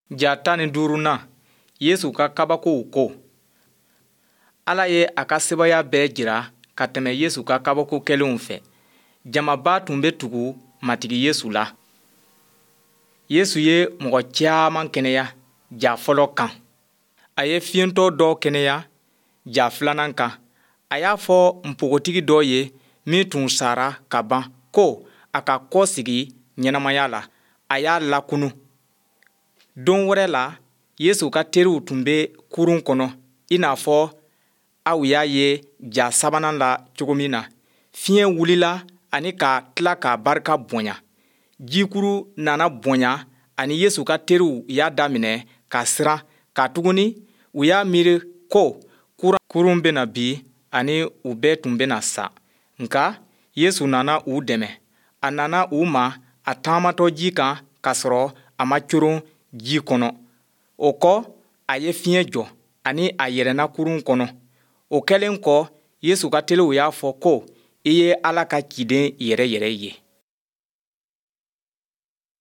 Ja 15nan, Yesu ka kabakow ko. Ala ye a ka sebaaya bɛɛ jira ka tɛmɛ Yesu ka kabako kɛlenw fɛ. Jamaba tun bɛ tugu Matigi Yesu la. Yesu ye mɔgɔ caman kɛnɛya ja fɔlɔ kan. A ye fiyentɔ dɔ kɛnɛya ja filanan kan. A y'a fɔ npogotigi dɔ ye min tun sara ka ban ko a ka kɔsegin ɲɛnamaya la, a y'a lakunun. Don wɛrɛ la, Yesu ka teriw tun bɛ kurun kɔnɔ i n'a fɔ aw y'a ye ja sabanan la cogo min na. Fiɲɛ wulila ani ka tila k'a barika bonya. Jikuru nana bonya ani Yesu ka teriw y'a daminɛ ka siran katuguni u y'a miiri ko kurun bɛna bin ani u bɛɛ tun bɛna sa. Nka Yesu nana u dɛmɛ. A nana u ma a taamatɔ ji kan k'a sɔrɔ a ma coron ji kɔnɔ. O kɔ, a ye fiɲɛ jɔ ani a yɛlɛnna kurun kɔnɔ. O kɛlen kɔ, Yesu ka teriw y'a fɔ ko, I ye Ala ka ciden yɛrɛ yɛrɛ ye.